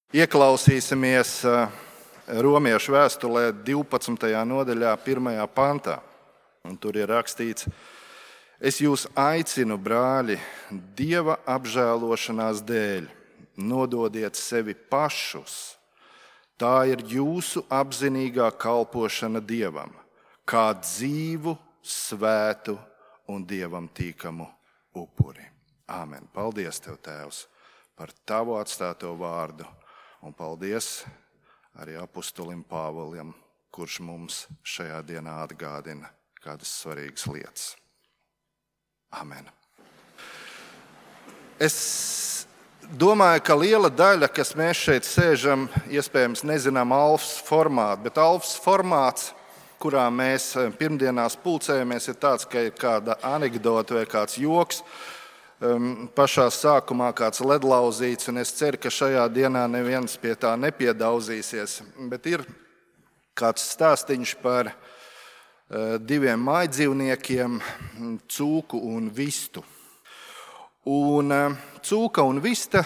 Ieklausīsimies Romiešu vēstulē 12. nodaļā, 1. pantā. Un tur ir rakstīts: Es jūs aicinu, brāļi, Dieva apžēlošanās dēļ, nododiet sevi pašus. Tā ir jūsu apzinīgā kalpošana Dievam, kā dzīvu, svētu un Dievam tīkamu upuri. Āmen. Paldies Tev, Tēvs, par Tavu atstāto vārdu. Un paldies arī apustulim Pāvilam, kurš mums šajā dienā atgādina kādas svarīgas lietas. Amen. Es domāju, ka liela daļa, kas mēs šeit sēžam, iespējams nezinām Alfas formātu, bet Alfas formāts, kurā mēs pirmdienās pulcējamies, ir tāds, ka ir kāda anekdote vai kāds joks. Pašā sākumā kāds ledlauzīts, un es ceru, ka šajā dienā neviens pie tā nepiedauzīsies. Bet ir kāds stāstiņš par diviem mājdzīvniekiem, cūku un vistu. Un cūka un vista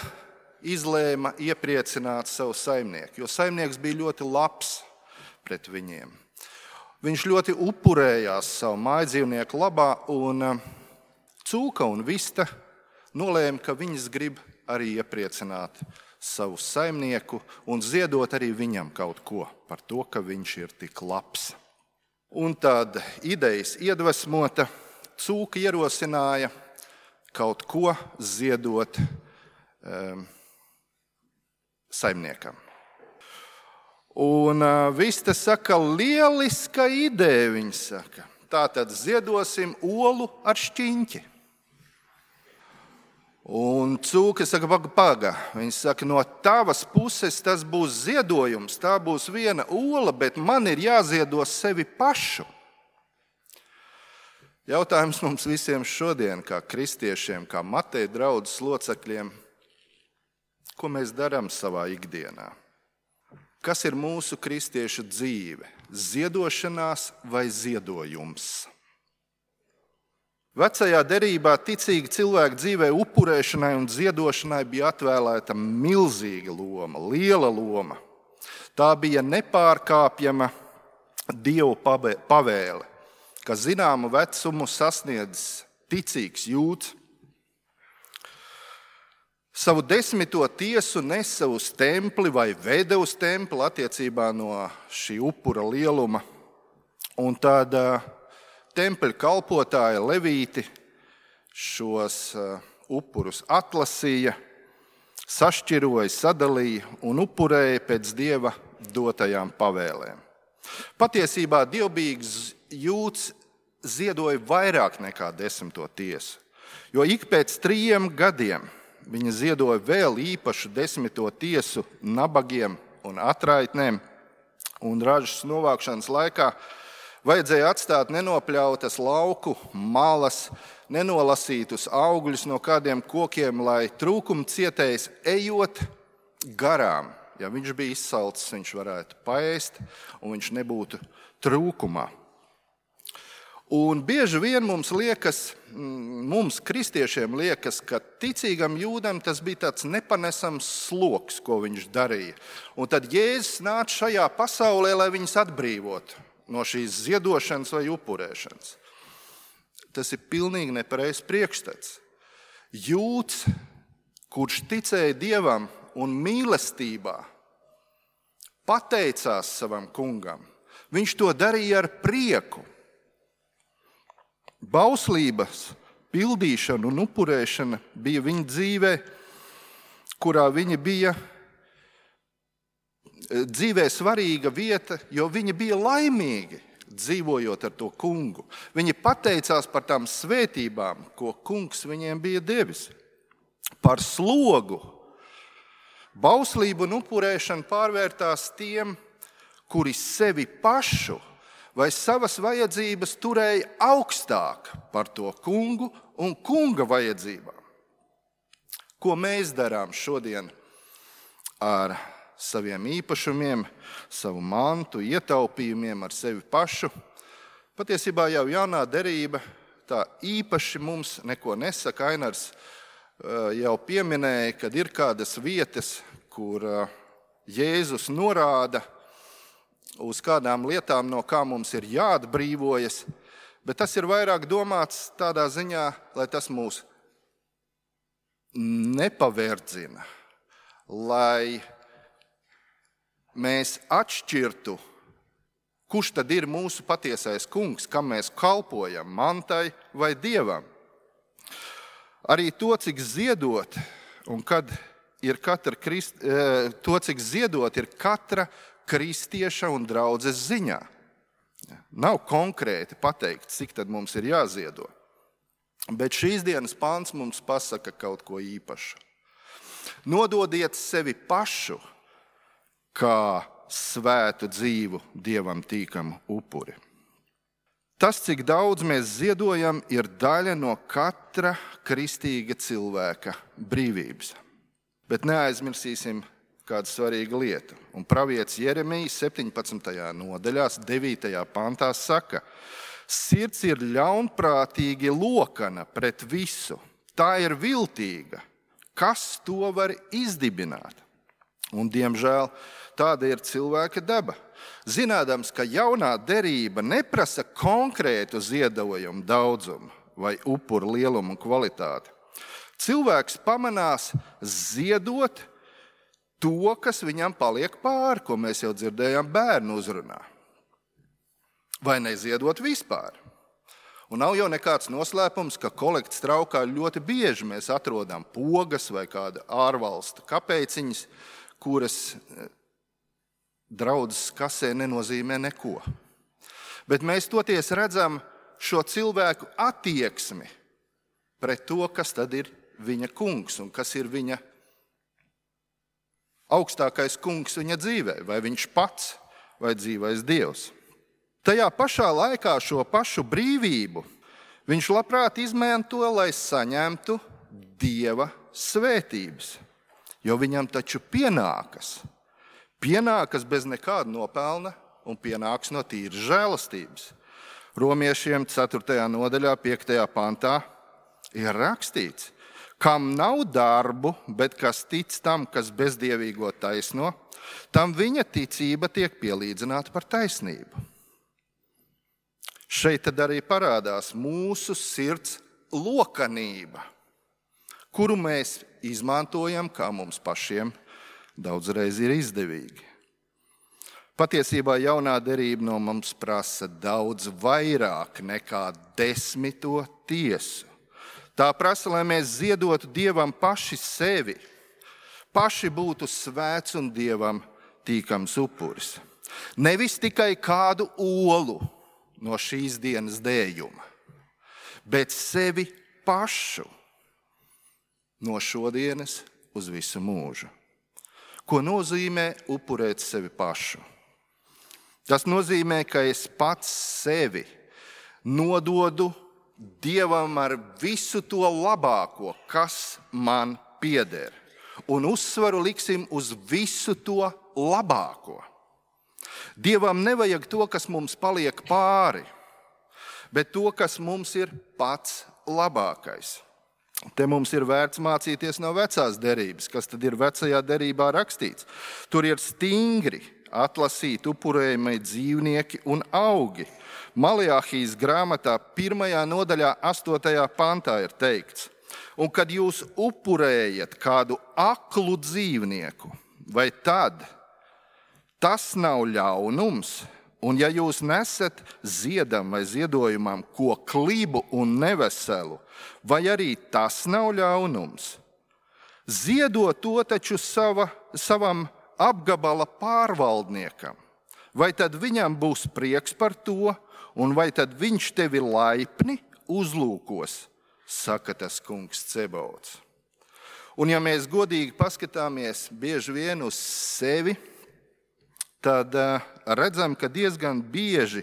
izlēma iepriecināt savu saimnieku, jo saimnieks bija ļoti labs pret viņiem. Viņš ļoti upurējās savu mājdzīvnieku labā, un cūka un vista nolēma, ka viņas grib arī iepriecināt savu saimnieku un ziedot arī viņam kaut ko par to, ka viņš ir tik labs. Un tad idejas iedvesmota, cūka ierosināja kaut ko ziedot saimniekam. Un vista saka, lieliska ideja, viņa saka. Tātad ziedosim olu ar šķiņķi. Un cūka saka, paga. Viņa saka, no tavas puses tas būs ziedojums, tā būs viena ola, bet man ir jāziedo sevi pašu. Jautājums mums visiem šodien, kā kristiešiem, kā Mateja draudzes locekļiem, ko mēs darām savā ikdienā? Kas ir mūsu kristiešu dzīve? Ziedošanās vai ziedojums? Vecajā derībā ticīgi cilvēku dzīvē upurēšanai un ziedošanai bija atvēlēta milzīga loma, liela loma. Tā bija nepārkāpjama Dievu pavēle, ka zināmu vecumu sasniedzis ticīgs jūds savu 10. tiesu nesa uz templi vai veda uz templi attiecībā no šī upura lieluma. Un tad tempļa kalpotāja levīti šos upurus atlasīja, sašķiroja, sadalīja un upurēja pēc Dieva dotajām pavēlēm. Patiesībā dievbijīgs jūds ziedoja vairāk nekā 10. tiesu, jo ik pēc 3 gadiem viņa ziedoja vēl īpašu 10. tiesu nabagiem un atraitnēm, un ražas novākšanas laikā vajadzēja atstāt nenopļautas lauku malas, nenolasītus augļus no kādiem kokiem, lai trūkuma cietējs ejot garām. Ja viņš bija izsalcis, viņš varētu paēst un viņš nebūtu trūkumā. Un bieži vien mums kristiešiem liekas, ka ticīgam jūdam tas bija tāds nepanesams sloks, ko viņš darīja. Un tad Jēzus nāca šajā pasaulē, lai viņus atbrīvotu no šīs ziedošanas vai upurēšanas. Tas ir pilnīgi nepareizs priekšstats. Jūds, kurš ticēja Dievam un mīlestībā, pateicās savam kungam, viņš to darīja ar prieku. Bauslības pildīšana un upurēšana bija viņa dzīvē, kurā viņa bija dzīvē svarīga vieta, jo viņi bija laimīgi dzīvojot ar to kungu. Viņi pateicās par tām svētībām, ko kungs viņiem bija devis. Par slogu. Bauslība un upurēšana pārvērtās tiem, kuri sevi pašu vai savas vajadzības turēja augstāk par to kungu un kunga vajadzībām. Ko mēs darām šodien ar saviem īpašumiem, savu mantu, ietaupījumiem, ar sevi pašu? Patiesībā jau jaunā derība tā īpaši mums neko nesaka. Ainars jau pieminēja, kad ir kādas vietas, kur Jēzus norāda uz kādām lietām, no kā mums ir jāatbrīvojas, bet tas ir vairāk domāts tādā ziņā, lai tas mūs nepaverdzina, lai mēs atšķirtu, kurš tad ir mūsu patiesais kungs, kam mēs kalpojam, mantai vai dievam. Arī to, cik ziedot, un kad ir cik ziedot ir katra kristieša un draudzes ziņā. Nav konkrēti pateikts, cik tad mums ir jāziedo. Bet šīs dienas pants mums pasaka kaut ko īpašu. Nododiet sevi pašu kā svētu dzīvu, dievam tīkamu upuri. Tas, cik daudz mēs ziedojam, ir daļa no katra kristīga cilvēka brīvības. Bet neaizmirsīsim kādu svarīgu lietu. Un pravietis Jeremijs 17. nodaļā, 9. pantā saka: sirds ir ļaunprātīgi lokana pret visu. Tā ir viltīga. Kas to var izdibināt? Un, diemžēl, tāda ir cilvēka daba. Zinādams, ka jaunā derība neprasa konkrētu ziedojumu daudzumu vai upuru lielumu un kvalitāti. Cilvēks pamanās ziedot to, kas viņam paliek pāri, ko mēs jau dzirdējām bērnu uzrunā. Vai neziedot vispār. Un nav jau nekāds noslēpums, ka kolektas traukā ļoti bieži mēs atrodam pogas vai kāda ārvalstu kapeiciņas, kuras draudzes kasē nenozīmē neko. Bet mēs toties redzam šo cilvēku attieksmi pret to, kas tad ir viņa kungs un kas ir viņa augstākais kungs viņa dzīvē, vai viņš pats, vai dzīvais dievs. Tajā pašā laikā šo pašu brīvību viņš labprāt izmanto, lai saņemtu dieva svētības. Jo viņam taču pienākas bez nekāda nopelna un pienāks no tīras žēlastības. Romiešiem 4. nodaļā, 5. pantā ir rakstīts: kam nav darbu, bet kas tic tam, kas bezdievīgo taisno, tam viņa ticība tiek pielīdzināta par taisnību. Šeit tad arī parādās mūsu sirds lokanība, kuru mēs izmantojam, kā mums pašiem daudzreiz ir izdevīgi. Patiesībā jaunā derība no mums prasa daudz vairāk nekā 10. tiesu. Tā prasa, lai mēs ziedotu Dievam paši sevi, paši būtu svēts un Dievam tīkams upuris. Nevis tikai kādu olu no šīs dienas dējuma, bet sevi pašu no šodienas uz visu mūžu. Ko nozīmē upurēt sevi pašu? Tas nozīmē, ka es pats sevi nododu Dievam ar visu to labāko, kas man pieder. Un uzsvaru liksim uz visu to labāko. Dievam nevajag to, kas mums paliek pāri, bet to, kas mums ir pats labākais. Te mums ir vērts mācīties no vecās derības, kas tad ir vecajā derībā rakstīts. Tur ir stingri atlasīti upurējamie dzīvnieki un augi. Maleahijas grāmatā 1. nodaļā 8. pantā ir teikts: un kad jūs upurējat kādu aklu dzīvnieku, vai tad tas nav ļaunums? Un ja jūs nesat ziedam vai ziedojumam ko klibu un neveselu, vai arī tas nav ļaunums? Ziedot to taču savam apgabala pārvaldniekam, vai tad viņam būs prieks par to, un vai tad viņš tevi laipni uzlūkos, saka tas kungs Cebaots. Un ja mēs godīgi paskatāmies bieži vien uz sevi, tad redzam, ka diezgan bieži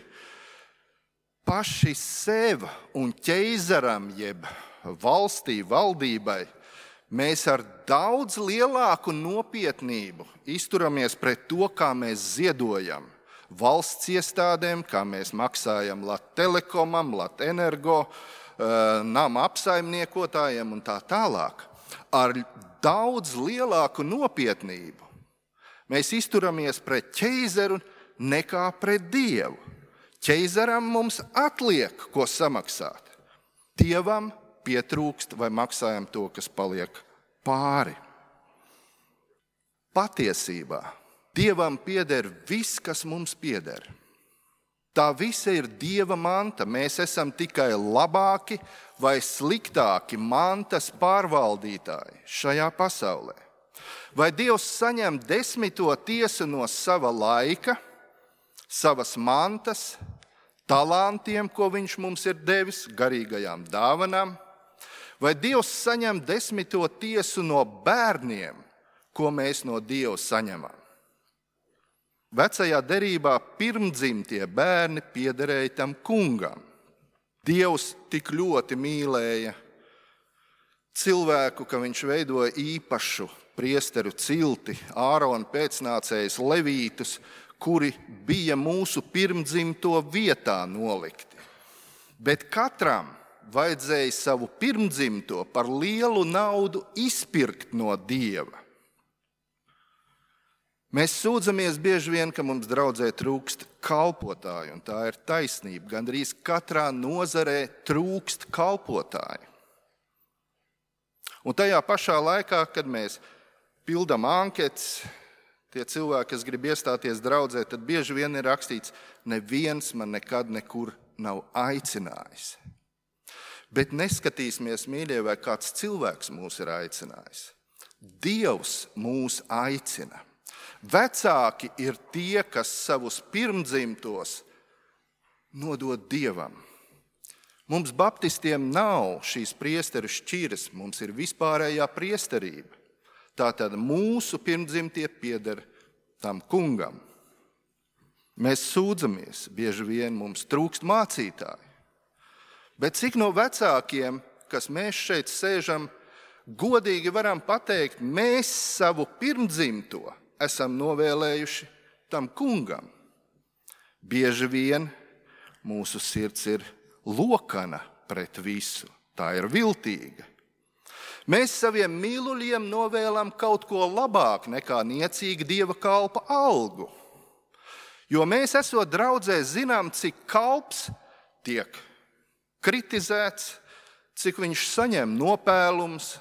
paši sev un ķeizaram, jeb valstī, valdībai, mēs ar daudz lielāku nopietnību izturamies pret to, kā mēs ziedojam valsts iestādēm, kā mēs maksājam Lat-Telekomam, Lat-Energo, nama apsaimniekotājiem un tā tālāk. Ar daudz lielāku nopietnību Mēs izturamies pret ķeizaru nekā pret Dievu. Ķeizaram mums atliek, ko samaksāt. Dievam pietrūkst vai maksājam to, kas paliek pāri. Patiesībā Dievam pieder viss, kas mums pieder. Tā visa ir Dieva manta. Mēs esam tikai labāki vai sliktāki mantas pārvaldītāji šajā pasaulē. Vai Dievs saņem 10. tiesu no sava laika, savas mantas, talantiem, ko viņš mums ir devis, garīgajām dāvanām? Vai Dievs saņem 10. tiesu no bērniem, ko mēs no Dieva saņemam? Vecajā derībā pirmdzimtie bērni piederēja tam kungam. Dievs tik ļoti mīlēja cilvēku, ka viņš veidoja īpašu priesteru cilti, Ārona pēcnācējus levītus, kuri bija mūsu pirmdzimto vietā nolikti. Bet katram vajadzēja savu pirmdzimto par lielu naudu izpirkt no Dieva. Mēs sūdzamies bieži vien, ka mums draudzē trūkst kalpotāju, un tā ir taisnība. Gandrīz katrā nozarē trūkst kalpotāju. Un tajā pašā laikā, kad mēs pildam anketas, tie cilvēki, kas grib iestāties draudzē, tad bieži vien ir rakstīts, neviens man nekad nekur nav aicinājis. Bet neskatīsimies, mīļie, vai kāds cilvēks mūs ir aicinājis. Dievs mūs aicina. Vecāki ir tie, kas savus pirmdzimtos nodod Dievam. Mums baptistiem nav šīs priesteru šķiras, mums ir vispārējā priesterība. Tātad mūsu pirmdzimtie pieder tam kungam. Mēs sūdzamies, bieži vien mums trūkst mācītāji. Bet cik no vecākiem, kas mēs šeit sēžam, godīgi varam pateikt, mēs savu pirmdzimto esam novēlējuši tam kungam. Bieži vien mūsu sirds ir lokana pret visu, tā ir viltīga. Mēs saviem mīluļiem novēlam kaut ko labāk nekā niecīga Dieva kalpa algu. Jo mēs esot draudzē zinām, cik kalps tiek kritizēts, cik viņš saņem nopēlums,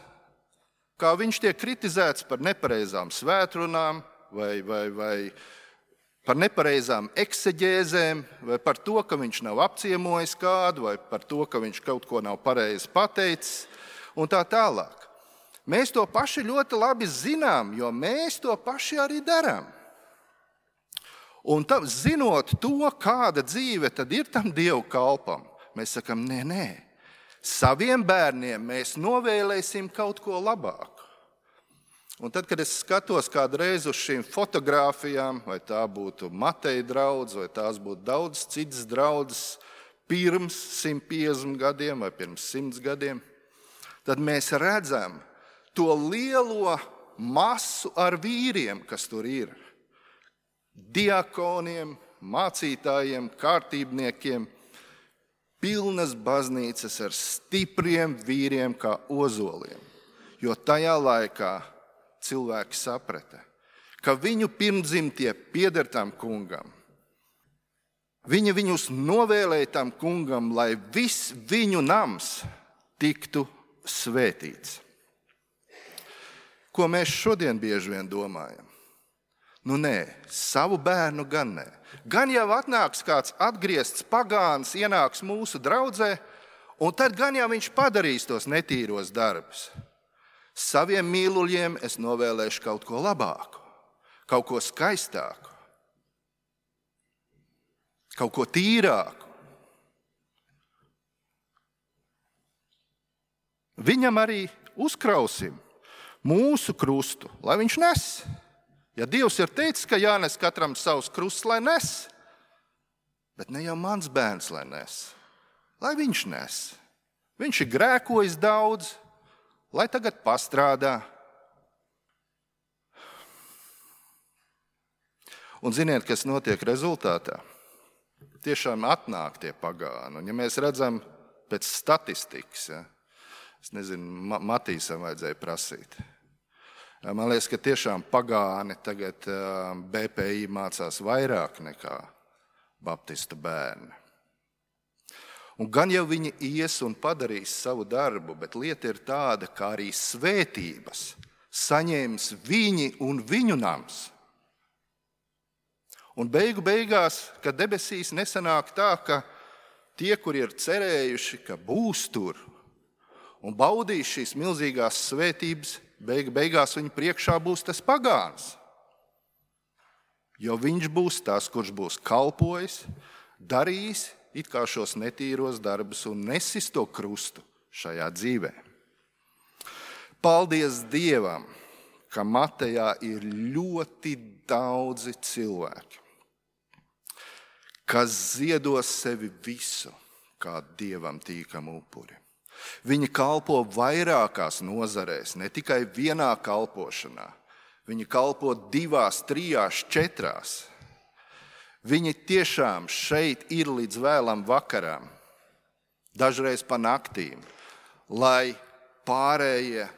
kā viņš tiek kritizēts par nepareizām svētrunām vai par nepareizām ekseģēzēm, vai par to, ka viņš nav apciemojis kādu, vai par to, ka viņš kaut ko nav pareizi pateicis, un tā tālāk. Mēs to paši ļoti labi zinām, jo mēs to paši arī darām. Un zinot to, kāda dzīve tad ir tam Dievu kalpam, mēs sakam, nē, saviem bērniem mēs novēlēsim kaut ko labāku. Un tad, kad es skatos kādreiz uz šīm fotogrāfijām, vai tā būtu Mateja draudze, vai tās būtu daudz citas draudzes pirms 150 gadiem vai pirms 100 gadiem, tad mēs redzam to lielo masu ar vīriem, kas tur ir. Diakoniem, mācītājiem, kārtībniekiem, pilnas baznīcas ar stipriem vīriem kā ozoliem. Jo tajā laikā cilvēki saprata, ka viņu pirmdzimtie pieder tam kungam. Viņi viņus novēlēja tam kungam, lai viss viņu nams tiktu svētīts. Ko mēs šodien bieži vien domājam? Nu nē, savu bērnu gan nē. Gan jau atnāks kāds atgriezts pagāns, ienāks mūsu draudzē, un tad gan jau viņš padarīs tos netīros darbus. Saviem mīluļiem es novēlēšu kaut ko labāku, kaut ko skaistāku, kaut ko tīrāku. Viņam arī uzkrausim mūsu krustu, lai viņš nes. Ja Dievs ir teicis, ka jānes katram savs krusts, lai nes, bet ne jau mans bērns, lai nes, lai viņš nes. Viņš ir grēkojis daudz, lai tagad pastrādā. Un ziniet, kas notiek rezultātā? Tiešām atnāk tie pagāni. Un ja mēs redzam pēc statistikas, es nezinu, Matīsam vajadzēja prasīt. Man liekas, ka tiešām pagāni tagad BPI mācās vairāk nekā baptista bērni. Un gan jau viņi ies un padarīs savu darbu, bet lieta ir tāda, ka arī svētības saņems viņi un viņu nams. Un beigās, kad debesīs nesanāk tā, ka tie, kuri ir cerējuši, ka būs tur un baudīs šīs milzīgās svētības, beigās viņa priekšā būs tas pagāns. Jo viņš būs tas, kurš būs kalpojis, darījis it kā šos netīros darbus un nesis to krustu šajā dzīvē. Paldies Dievam, ka Matejā ir ļoti daudzi cilvēki, kas ziedos sevi visu kā Dievam tīkamu upuri. Viņi kalpo vairākās nozarēs, ne tikai vienā kalpošanā. Viņi kalpo 2, 3, 4. Viņi tiešām šeit ir līdz vēlam vakaram, dažreiz pa naktīm, lai pārējie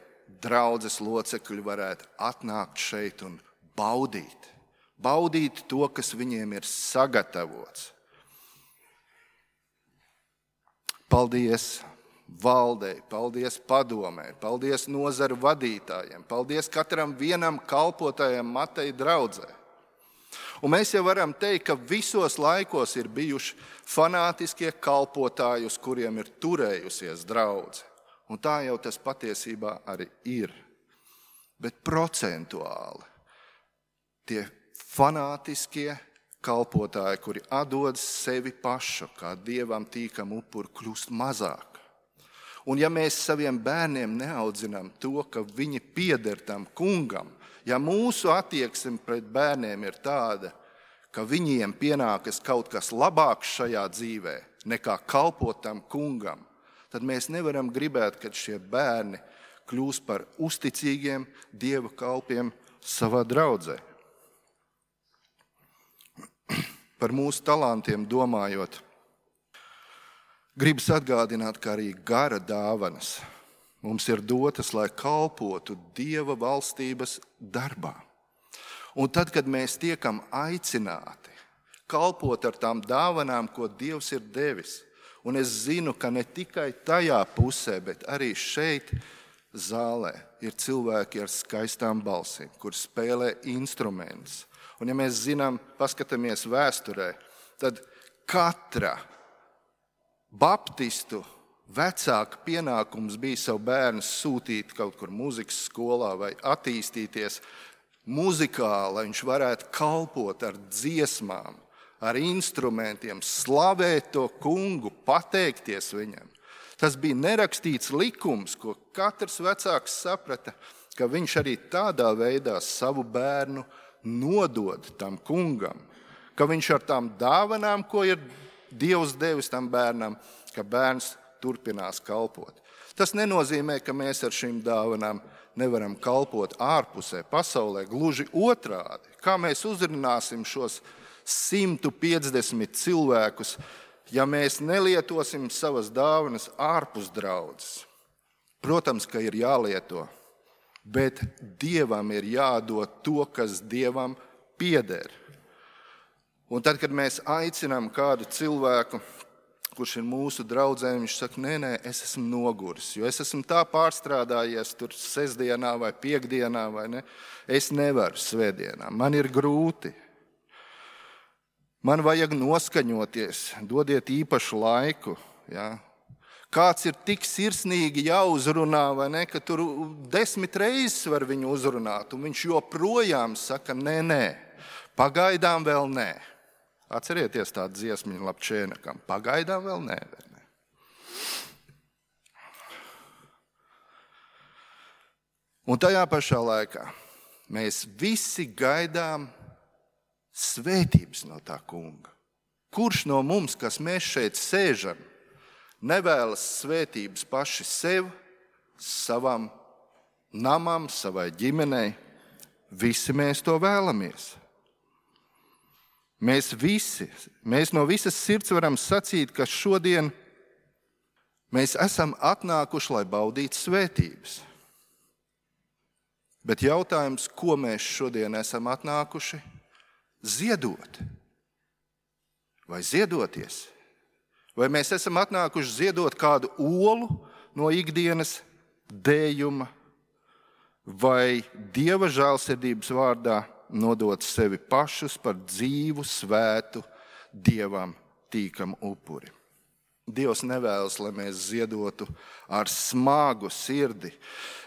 draudzes locekļi varētu atnākt šeit un baudīt to, kas viņiem ir sagatavots. Paldies valdei, paldies padomē, paldies nozaru vadītājiem, paldies katram vienam kalpotājam Mateja draudzē. Un mēs jau varam teikt, ka visos laikos ir bijuši fanātiskie kalpotāji, uz kuriem ir turējusies draudze. Un tā jau tas patiesībā arī ir. Bet procentuāli tie fanātiskie kalpotāji, kuri atdod sevi pašu kā Dievam tīkam upuri, kļūst mazāk. Un ja mēs saviem bērniem neaudzinām to, ka viņi pieder tam kungam, ja mūsu attieksme pret bērniem ir tāda, ka viņiem pienākas kaut kas labāks šajā dzīvē nekā kalpot tam kungam, tad mēs nevaram gribēt, ka šie bērni kļūs par uzticīgiem Dieva kalpiem savā draudzē. Par mūsu talantiem domājot, gribas atgādināt, ka arī gara dāvanas mums ir dotas, lai kalpotu Dieva valstības darbā. Un tad, kad mēs tiekam aicināti kalpot ar tām dāvanām, ko Dievs ir devis, un es zinu, ka ne tikai tajā pusē, bet arī šeit zālē ir cilvēki ar skaistām balsīm, kur spēlē instrumentus. Un ja mēs zinām, paskatāmies vēsturē, tad katra baptistu vecāka pienākums bija savu bērnu sūtīt kaut kur muzikas skolā vai attīstīties muzikāli, lai viņš varētu kalpot ar dziesmām, ar instrumentiem, slavēt to kungu, pateikties viņam. Tas bija nerakstīts likums, ko katrs vecāks saprata, ka viņš arī tādā veidā savu bērnu nodod tam kungam, ka viņš ar tām dāvanām, ko ir Dievs devis tam bērnam, ka bērns turpinās kalpot. Tas nenozīmē, ka mēs ar šīm dāvanām nevaram kalpot ārpusē, pasaulē, gluži otrādi. Kā mēs uzrunāsim šos 150 cilvēkus, ja mēs nelietosim savas dāvanas ārpus draudzes? Protams, ka ir jālieto, bet Dievam ir jādod to, kas Dievam pieder. Un tad, kad mēs aicinām kādu cilvēku, kurš ir mūsu draudzē, viņš saka, nē, es esmu noguris, jo es esmu tā pārstrādājies tur sestdienā vai piekdienā, vai ne? Es nevaru svētdienā, man ir grūti. Man vajag noskaņoties, dodiet īpašu laiku. Ja? Kāds ir tik sirsnīgi jāuzrunā, vai ne, ka tur 10 reizes var viņu uzrunāt, un viņš joprojām saka, nē, pagaidām vēl nē. Atcerieties tādu dziesmiņu Lapčēnakam. Pagaidām vēl nē. Un tajā pašā laikā mēs visi gaidām svētības no tā kunga. Kurš no mums, kas mēs šeit sēžam, nevēlas svētības paši sev, savam namam, savai ģimenei? Visi mēs to vēlamies. Mēs no visas sirds varam sacīt, ka šodien mēs esam atnākuši, lai baudītu svētības. Bet jautājums, ko mēs šodien esam atnākuši ziedot? Vai ziedoties? Vai mēs esam atnākuši ziedot kādu olu no ikdienas dējuma, vai Dieva žēlsirdības vārdā nodot sevi pašus par dzīvu, svētu, Dievam tīkamu upuri? Dievs nevēlas, lai mēs ziedotu ar smagu sirdi,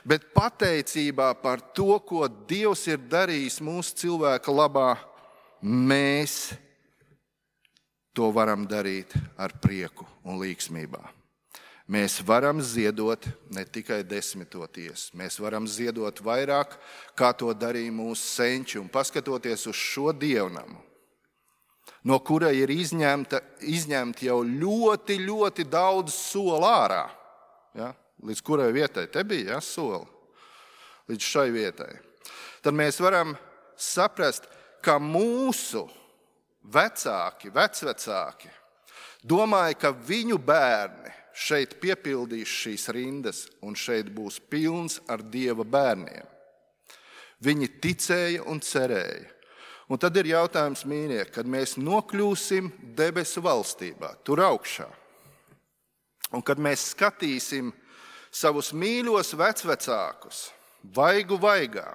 bet pateicībā par to, ko Dievs ir darījis mūsu cilvēka labā, mēs to varam darīt ar prieku un līgsmībā. Mēs varam ziedot ne tikai 10. tiesu, mēs varam ziedot vairāk, kā to darīja mūsu senči, un paskatoties uz šo dievnamu, no kura ir izņemti jau ļoti, ļoti daudz soli ārā. Ja? Līdz kurai vietai te bija soli? Līdz šai vietai. Tad mēs varam saprast, ka mūsu vecvecāki domāja, ka viņu bērni šeit piepildīs šīs rindas un šeit būs pilns ar Dieva bērniem. Viņi ticēja un cerēja. Un tad ir jautājums, mīļie, kad mēs nokļūsim debesu valstībā, tur augšā, un kad mēs skatīsim savus mīļos vecvecākus, vaigu vaigā,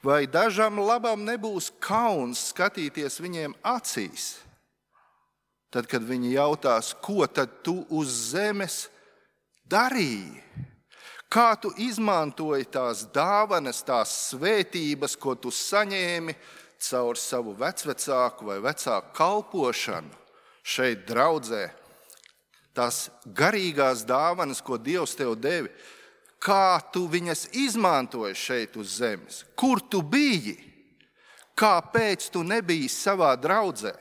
vai dažam labam nebūs kauns skatīties viņiem acīs, tad, kad viņi jautās, ko tad tu uz zemes darīji? Kā tu izmantoji tās dāvanas, tās svētības, ko tu saņēmi caur savu vecvecāku vai vecāku kalpošanu šeit draudzē? Tās garīgās dāvanas, ko Dievs tev devi, kā tu viņas izmantoji šeit uz zemes? Kur tu biji? Kāpēc tu nebiji savā draudzē?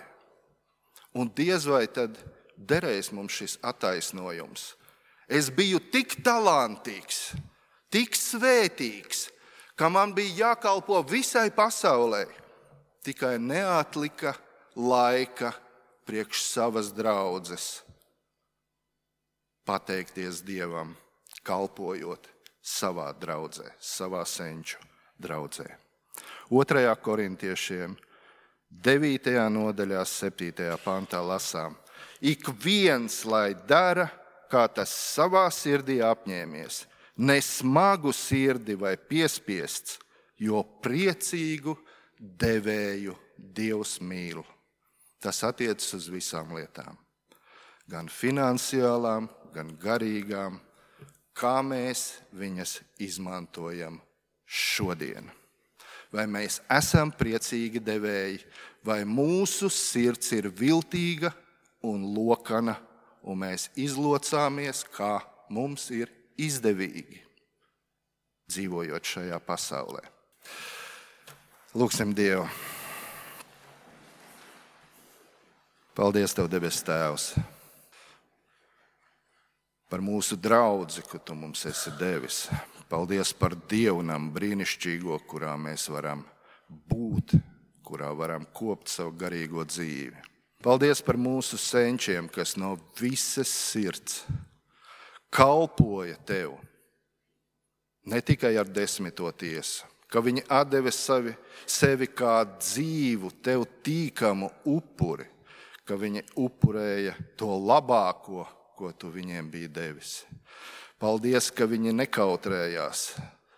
Un diez vai tad derēs mums šis attaisnojums. Es biju tik talantīgs, tik svētīgs, ka man bija jākalpo visai pasaulē. Tikai neatlika laika priekš savas draudzes pateikties Dievam, kalpojot savā draudzē, savā senču draudzē. 2. korintiešiem 9. nodaļā 7. pantā lasām: Ik viens, lai dara, kā tas savā sirdī apņēmies, ne smagu sirdi vai piespiests, jo priecīgu devēju Dievs mīl. Tas attiecas uz visām lietām, gan finansiālām, gan garīgām, kā mēs viņas izmantojam šodien. Vai mēs esam priecīgi devēji, vai mūsu sirds ir viltīga un lokana, un mēs izlocāmies, kā mums ir izdevīgi, dzīvojot šajā pasaulē. Lūksim Dievu. Paldies Tev, debes Tēvs, par mūsu draudzi, ko Tu mums esi devis. Paldies par dievnamu brīnišķīgo, kurā mēs varam būt, kurā varam kopt savu garīgo dzīvi. Paldies par mūsu senčiem, kas no visas sirds kalpoja Tev, ne tikai ar 10. tiesu, ka viņi atdeva sevi kā dzīvu, Tev tīkamu upuri, ka viņi upurēja to labāko, ko Tu viņiem biji devis. Paldies, ka viņi nekautrējās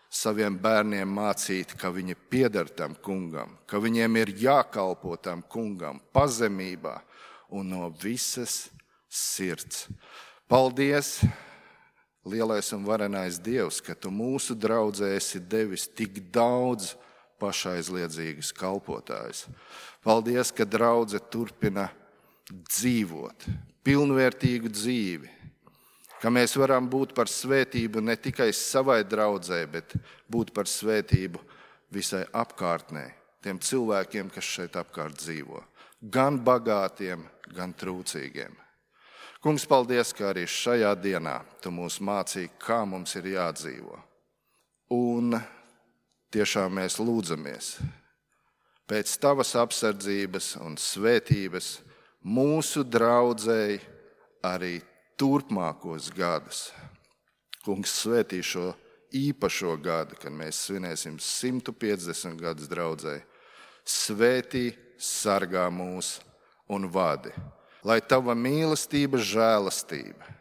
saviem bērniem mācīt, ka viņi pieder tam kungam, ka viņiem ir jākalpo tam kungam pazemībā un no visas sirds. Paldies, lielais un varenais Dievs, ka Tu mūsu draudzē esi devis tik daudz pašaizliedzīgas kalpotājus. Paldies, ka draudze turpina dzīvot pilnvērtīgu dzīvi, ka mēs varam būt par svētību ne tikai savai draudzē, bet būt par svētību visai apkārtnē, tiem cilvēkiem, kas šeit apkārt dzīvo, gan bagātiem, gan trūcīgiem. Kungs, paldies, ka arī šajā dienā Tu mūs mācīji, kā mums ir jādzīvo. Un tiešām mēs lūdzamies pēc Tavas apsardzības un svētības mūsu draudzei arī turpmākos gadus. Kungs, svētī šo īpašo gadu, kad mēs svinēsim 150 gadus draudzei. Svētī, sargā mūs un vadi, lai tava mīlestība, žēlastība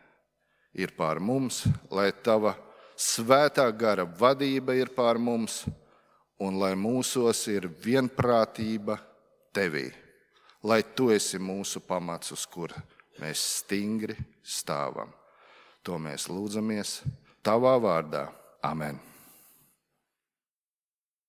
ir pār mums, lai tava svētā gara vadība ir pār mums un lai mūsos ir vienprātība tevī, lai tu esi mūsu pamats, uz kura mēs stingri stāvam. To mēs lūdzamies tavā vārdā. Amen.